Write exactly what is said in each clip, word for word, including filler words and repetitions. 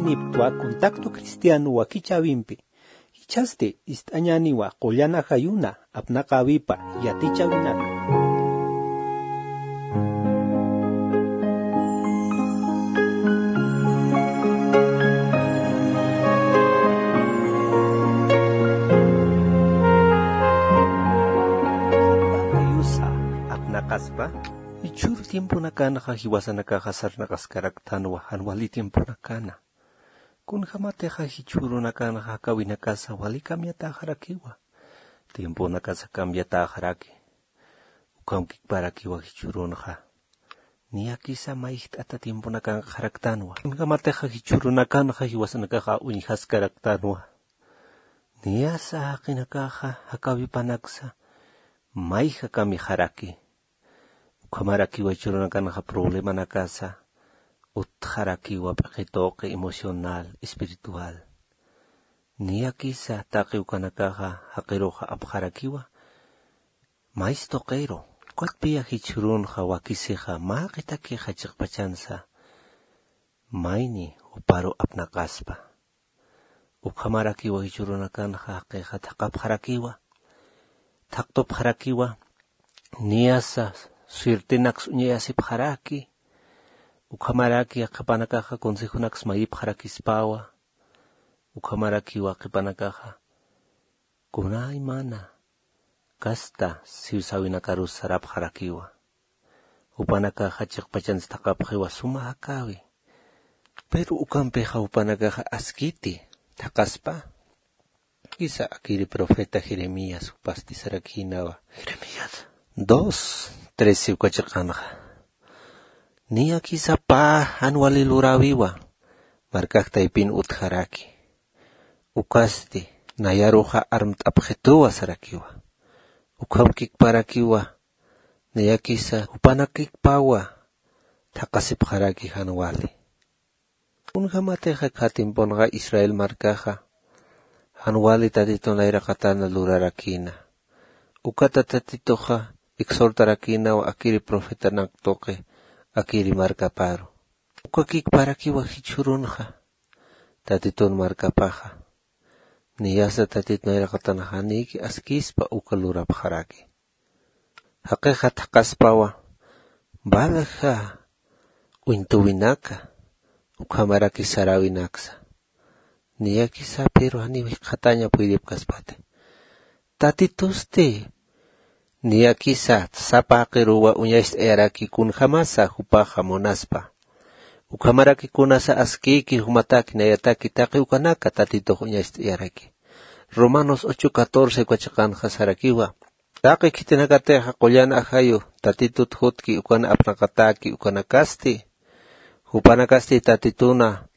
Iptwa contacto cristiano wakichäwimpi. Jichhasti ist'añäniwa qullan ajayuna apnaqäwipa yatichäwinaka. Apnaqaspa. Jichhüru tiemponakanxa jiwasanakaxa sarnaqaskaraktanwa jan wali tiemponakana. Kunjämatixa jichhürunakanxa jakäwinakasa wali cambiatäxarakiwa. Tiemponakasa cambiatäxaraki. Ukham kikparakiwa jichhürunxa. Niyakisa mayjt'ata tiemponakanxaraktanwa. Kunjämatixa jichhürunakanxa jiwasanakaxa uñjaskaraktanwa. Niyasa jaqinakaxa jakäwipanaksa mayja cambiaxaraki. Ukhamarakiwa jichhürunakanxa problemanakasa utjarakiwa p'iqi tuqi emocional, espiritual. Niyakisa taqi ukanakaxa jaqiruxa apxarakiwa, mays tuqiru. Ukatpiya jichhürunxa wakisixa mä qitakixa chiqpachansa mayni juparu apnaqaspa. Ukhamarakiwa jichhürunakanxa jaqixa thaqapxarakiwa, thaqtupxarakiwa, niyasa suertenaks uñayasipxaraki, ukhamaraki yaqhipanakaxa consejonaks mayipxarakispawa, ukhamarakiwa qhipanakaxa kunaymana kasta siwsäwinakarus sarapxarakiwa. Jupanakaxa chiqpachansa thaqapxiwa suma jakäwi. Pero ukampixa jupanakaxa askiti thaqaspa. Kisa akiri profeta Jeremías jupasti sarakïnawa. Jeremías dos trece uka chiqanxa. Niyakisa pä jan wali luräwiwa markax taypin utjaraki. Ukasti nayaruxa armt'apxituwa sarakiwa. Ukham kikparakiwa niyakisa jupanakikpawa thaqasipxaraki jan wali. Kunjämatixa kha tiemponxa Israel markaxa jan wali Tatitu nayraqatana lurarakïna. Ukata Tatituxa exhortarakïnawa akiri profetanak tuqi akiri markaparu. Uka kikparakiwa jichhürunxa Tatitun markapaxa. Niyasa Tatitu nayraqatan janïki askispa uka lurapxaraki. Jaqixa thaqaspawa valja uñtuwinaka ukhamaraki saräwinaksa. Niyakisa pero janiw jikxataña puydipkaspati. Tatitusti niyakisa sapa jaqiruwa uñacht'ayaraki kunjämasa jupaxa munaspa. Ukhamaraki kunasa askïki jumataki nayataki taqi ukanaka Tatitux uñacht'ayaraki. Romanos ocho catorce uka chiqanxa sarakiwa. Taqi khitinakatixa qullan ajayu Tatitut jutki ukan apnaqatäki ukanakasti. Jupanakasti Tatituna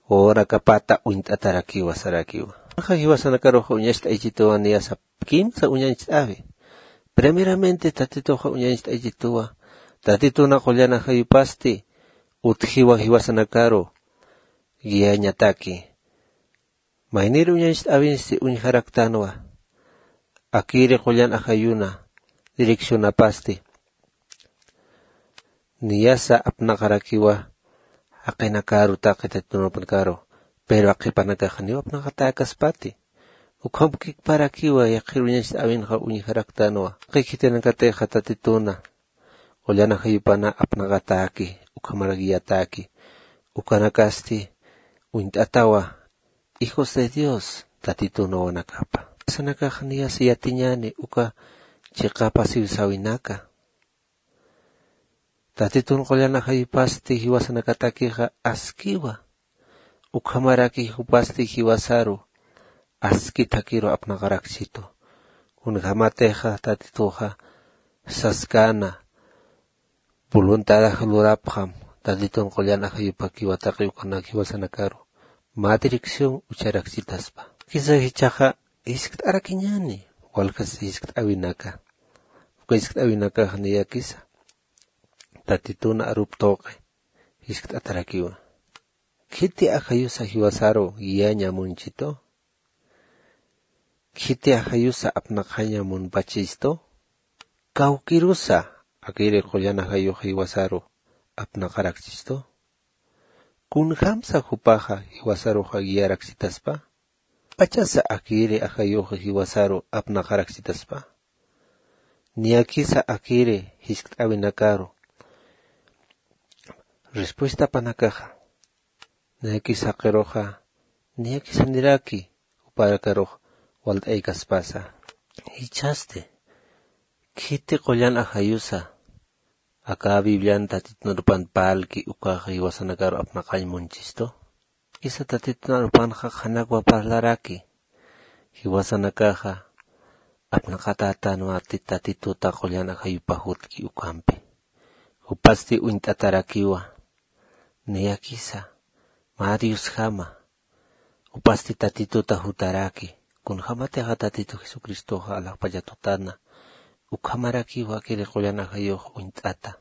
wawanakapata uñt'atarakiwa sarakiwa. Aka jiwasanakaruxa uñacht'aychituwa niyasa kimsa uñacht'äwi. Primeramente Tatituxa uñacht'aychituwa. Tatituna qullan ajayupasti utjiwa jiwasanakaru guiañataki. Maynir uñacht'äwinsti uñjaraktanwa. Akiri qullan ajayuna direccionapasti. Niyasa apnaqarakiwa jaqinakaru taqi Tatitunakaru. Pero jaqhipanakaxa niw apnaqatäkaspati. Ukham kikparakiwa yaqhir uñacht'äwinxa uñjaraktanwa. Jaqi khitinakatixa Tatituna qullan ajayupana apnaqatäki, ukhamar guiatäki, ukanakasti uñt'atawa hijos de Dios Tatitun wawanakapa. Jiwasanakax niyasa yatiñäni uka chiqapa siwsäwinaka. Tatitun qullan ajayupasti jiwasanakatakixa askiwa. Ukhamaraki jupasti jiwasaru aski thakiru apnaqarakchitu. Kunjämatixa Tatituxa saskäna voluntadax lurapxam, Tatitun qullan ajayupakiwa taqi ukanak jiwasanakaru mä dirección ucharakchitaspa. Kisa jichhaxa jiskt'arakiñäni walja jiskt'äwinaka. Uka jiskt'äwinakax niyakisa Tatitun arup tuqi jiskt'atarakiwa. Khiti ajayusa jiwasaru guiaña munchitu? Khiti ajayusa apnaqaña munpachistu? Kawkirusa akiri qullan ajayux jiwasaru apnaqarakchistu? Kunjamsa jupaxa jiwasaruxa guiaraksitaspa? Pachasa akiri ajayuxa jiwasaru apnaqaraksitaspa? Niyakisa akiri jiskt'äwinakaru respuestapanakaxa niyakisa jaqiruxa niyakisa niraki juparakarux walt'aykaspasa. Jichhasti khiti qullan ajayusa aka biblian tatitun arupan parlki ukaxa jiwasanakaru apnaqañ munchistu? Isa tatitun arupanxa qhanakwa parlaraki jiwasanakaxa apnaqatätanwa tatituta qullan ajayupa jutki ukhampi. Jupasti uñt'atarakiwa niyakisa mä diosjama. Jupasti tatituta jutaraki kunjämatixa tatitu jesucristoxa alaxpachatutana ukhamarakiwa akiri qullan ajayux uñt'ata.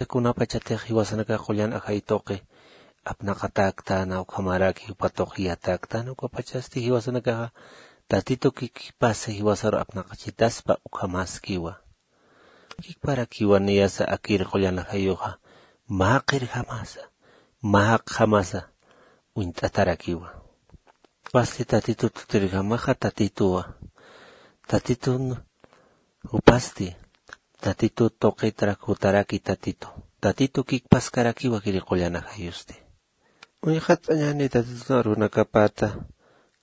Kunapachatix jiwasanakax qullan ajay tuqi apnaqatäktäna ukhamaraki jupa tuqi yatäktäna ukapachasti jiwasanakaxa tatitu kikipasa jiwasaru apnaqachitaspa ukhamaskiwa. Kikparakiwa niyasa akir qullan ajayuxa mä qirjamasa mä jaqjamasa uñt'atarakiwa. Jupasti tatitut jutirjamaxa tatituwa. Tatitun jupasti tatitut tuqitrak jutaraki tatitu. Tatitu kikpaskarakiwa akiri qullan ajayusti. Uñjat'añani tatitun arunakapata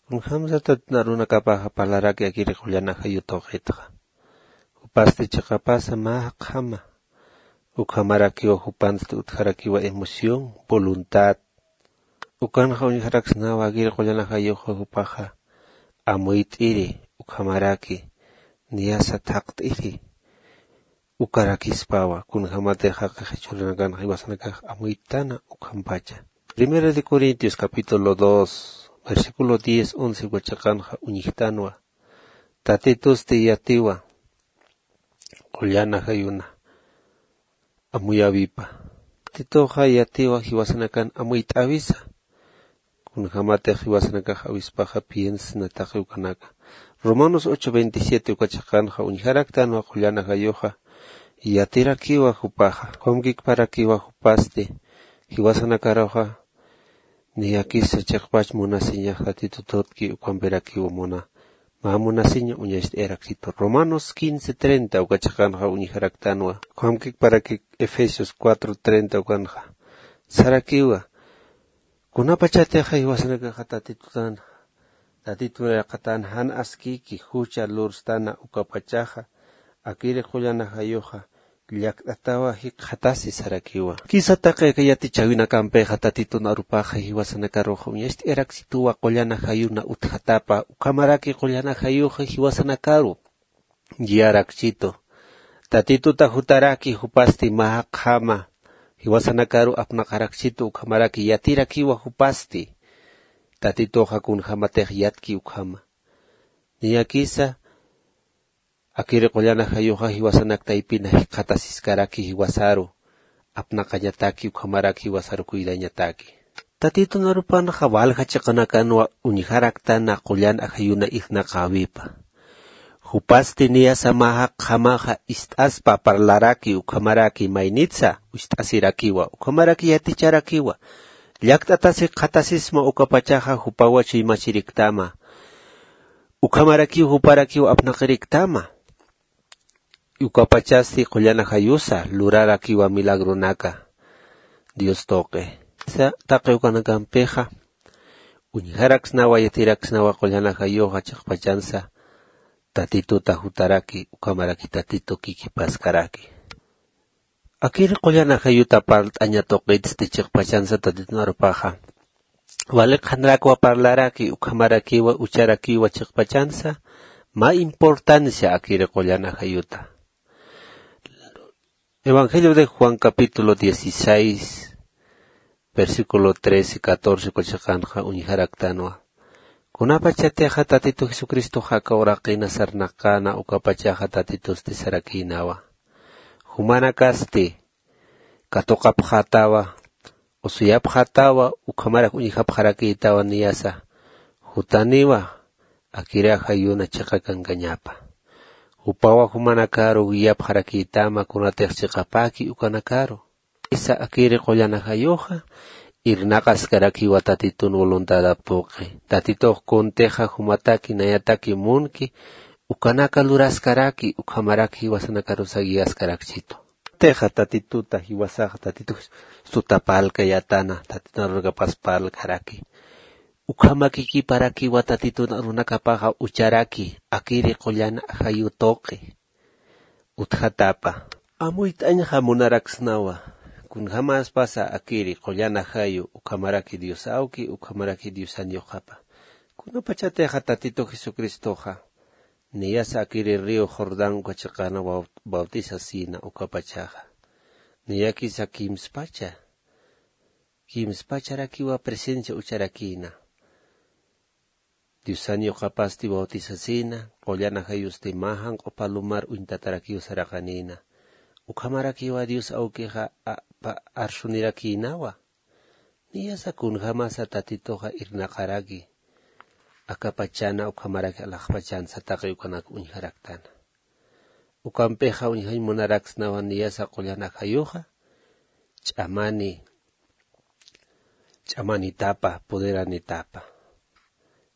kunjämsa tatitun arunakapaxa parlaraki akiri qullan ajayu tuqitxa. Jupasti chiqapasa mä jaqjama ukhamarakiwa jupansti utjarakiwa emoción voluntad. Ukanxa uñjaraksnawa akir qullan ajayuxa jupaxa amuyt'iri ukhamaraki niyasa thaqt'iri ukarakispawa kunjämatix jaqix jichhürunakanxa jiwasanakax amuytana ukhampacha. Primera de corintios capítulo dos versículo diez once uka chiqanxa uñjtanwa. Tatitusti yatiwa qullan ajayuna amuyäwipa. Tatituxa yatiwa jiwasanakan amuyt'äwisa kunjämatix jiwasanakax awispaxa piensna taqi ukanaka. Romanos ocho veintisiete uka chiqanxa uñjaraktanwa qullan ajayuxa yatirakiwa jupaxa ukham kikparakiwa jupasti jiwasanakaruxa niyakisa chiqpach munasiñax tatitututki ukhampirakiwa muna mä munasiña uñacht'ayaraksitu. Romanos quince treinta uka chiqanxa uñjaraktanwa ukham kikparakik efesios cuatro treinta ukanxa sarakiwa kunapachatixa jiwasanakaxa tatitutan tatitun yaqatan jan askiki jucha lurstana ukapachaxa akiri qullan ajayuxa llakt'atawa jikxatasi sarakiwa. Kisa taqi aka yatichäwinakampixa tatitun arupaxa jiwasanakaruxa uñacht'ayaraksituwa qullan ajayuna utjatapa ukhamaraki qullan ajayuxa jiwasanakaru guiaraksitu. Tatituta jutaraki jupasti mä jaqjama jiwasanakaru apnaqaraksitu ukhamaraki yatirakiwa jupasti tatituxa kunjämatix yatki ukhama. Niyakisa akiri qullan ajayuxa jiwasanak taypina jikxatasiskaraki jiwasaru apnaqañataki ukhamaraki jiwasaru cuidañataki. Tatitun arupanxa walja chiqanakanwa uñjaraktana qullan ajayuna irnaqäwipa. Jupasti niyasa mä jaqjamaxa ist'aspa parlaraki ukhamaraki maynitsa ist'asirakiwa ukhamaraki yaticharakiwa llakt'atas jikxatasisma ukapachaxa jupawa chuymachiriktama ukhamarakiw juparakiw apnaqiriktama. Ukapachasti qullan ajayusa lurarakiwa milagronaka dios tuqi. Sa taqi ukanakampixa uñjaraksnawa yatiraksnawa qullan ajayuxa chiqpachansa tatituta jutaraki ukhamaraki tatitu kikipaskaraki. Akir qullan ajayuta parlt'aña tuqitsti chiqpachansa tatitun arupaxa wali qhanrakwa parlaraki ukhamarakiwa ucharakiwa chiqpachansa mä importancia akir qullan ajayuta. Evangelio de juan capítulo dieciséis versículo trece catorce uka chiqanxa uñjaraktanwa. Kunapachatixa tatitu jesucristoxa aka uraqina sarnaqäna ukapachaxa tatitusti sarakïnawa jumanakasti katuqapxätawa usuyapxätawa ukhamarak uñjapxarakïtawa niyasa jutaniwa akiri ajayuna chiqa kankañapa. Jupawa jumanakaru guiapxarakïtama kunatix chiqapäki ukanakaru. Isa akiri qullan ajayuxa irnaqaskarakiwa tatitun voluntadap tuqi. Tatitux kuntixa jumataki nayataki munki ukanaka luraskaraki ukhamaraki jiwasanakarusa guiaskarakchitu. Tixa tatituta jiwasaxa tatitux sutapalkayatana tatitun arunakapas palkaraki. Ukhamakikiparakiwa tatitun arunakapaxa ucharaki akiri qullan ajayu tuqi. Utjatapa amuyt'añxa munaraksnawa. Kunjamaspasa akiri qullan ajayu ukhamaraki dios awki ukhamaraki diosan yuqapa. Kunapachatixa tatitu jesucristoxa niyasa akiri río jordán uka chiqana bautisasina ukapachaxa niyakisa kimspacha kimspacharakiwa presencia ucharakina. Diosan yuqapasti bautisasina qullan ajayusti mä janq'u palumar uñtatarakiw saraqanina. Ukhamarakiwa dios awkixa arsunirakinawa. Niyasa kunjamasa tatituxa irnaqaraki akapachana ukhamaraki alaxpachansa taqi ukanak uñjaraktana. Ukampixa uñjañ munaraksnawa niyasa qullan ajayuxa ch'amani ch'amanitapa poderanitapa.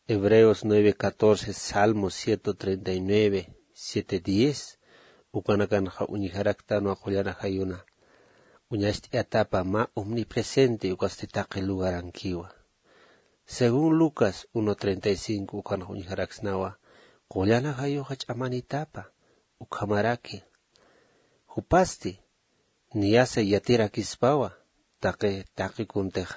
Hebreos nueve catorce, salmos ciento treinta y nueve siete diez. Ukanakanxa uñjaraktanwa qullan ajayuna uñacht'ayatapa mä omnipresente ukasti taqi lugarankiwa. Según lucas uno treinta y cinco ukanxa uñjaraksnawa qullan ajayuxa ch'amanitapa ukhamaraki jupasti niyasa yatirakispawa taqi taqi kuntix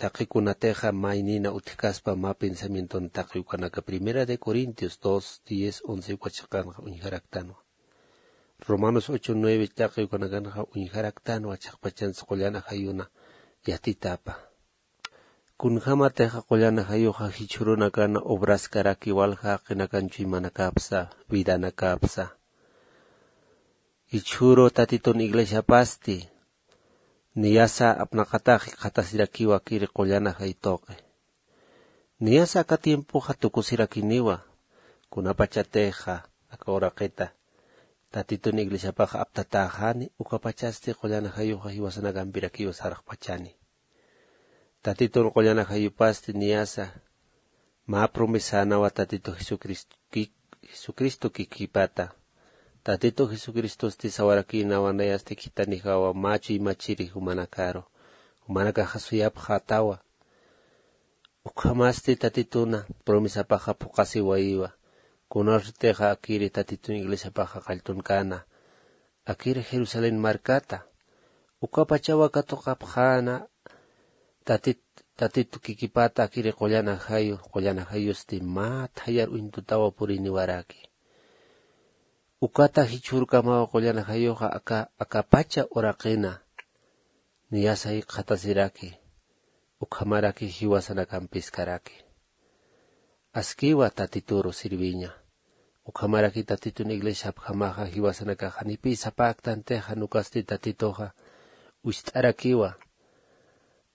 taqi kunatixa maynina utjkaspa mä pensamienton taqi ukanaka primera de corintios dos diez once uka chiqanxa uñjaraktanwa. Romanos ocho nueve taqi ukanakanxa uñjaraktanwa chiqpachansa qullan ajayuna yatitapa. Kunjamatixa qullan ajayuxa jichhürunakana obraskaraki walja jaqinakan chuymanakapsa vidanakapsa jichhüru tatitun iglesiapasti niyasa apnaqatax jikxatasirakiwa kiri qullan ajay tuqi. Niyasa aka tiempoxa tukusirakiniwa kunapachatixa aka uraqita tatitun iglesiapax aptatäxani ukapachasti qullan ajayuxa jiwasanakampirakiwa sarxpachani. Tatitun qullan ajayupasti niyasa mä promesanawa tatitu jesucristo kikipata. Tatitu jesucristosti sawarakïnawa nayasti khithanijawa mä chuymachiri jumanakaru jumanakaxa suyapxätawa. Ukhamasti tatituna promesapaxa phuqhasiwayiwa. Kunasutixa akiri tatitun iglesiapaxa qalltunkana akiri jerusalén markata ukapachawa katuqapxäna. Tatitu kikipata akiri qullan ajayu qullan ajayusti mä thayar uñtutawa puriniwaraki. Ukata jichhürkamawa qullan ajayuxa aka akapacha uraqina niyasa jikxatasiraki ukhamaraki jiwasanakampiskaraki. Askiwa tatituru sirviña ukhamaraki tatitun iglesiapjamaxa jiwasanakax janipï sapäktantixa jan ukasti tatituxa ucht'arakiwa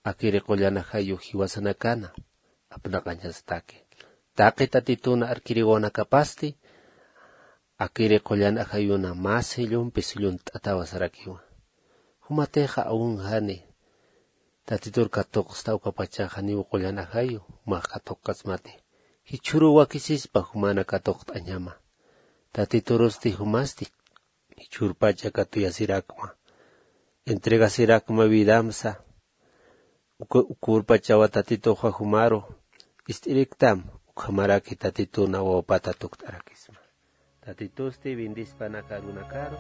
akiri qullan ajayu jiwasanakana apnaqañastaki. Taqi tatituna arkiriwanakapasti akiri qullan ajayuna mä sellompi sellont'atawa sarakiwa. Jumatixa aun jani tatitur katuqsta ukapachax janiw qullan ajayu jumax katuqkasmati. Jichhüruw wakisispa jumana katuqt'añama tatiturusti jumasti jichhürpacha katuyasirakma entregasirakma vidamsa. Ukürpachawa tatituxa jumaru ist'iriktam ukhamaraki tatituna wawpata tukt'arakisma. Tatitusti bendispanaka arunakaru.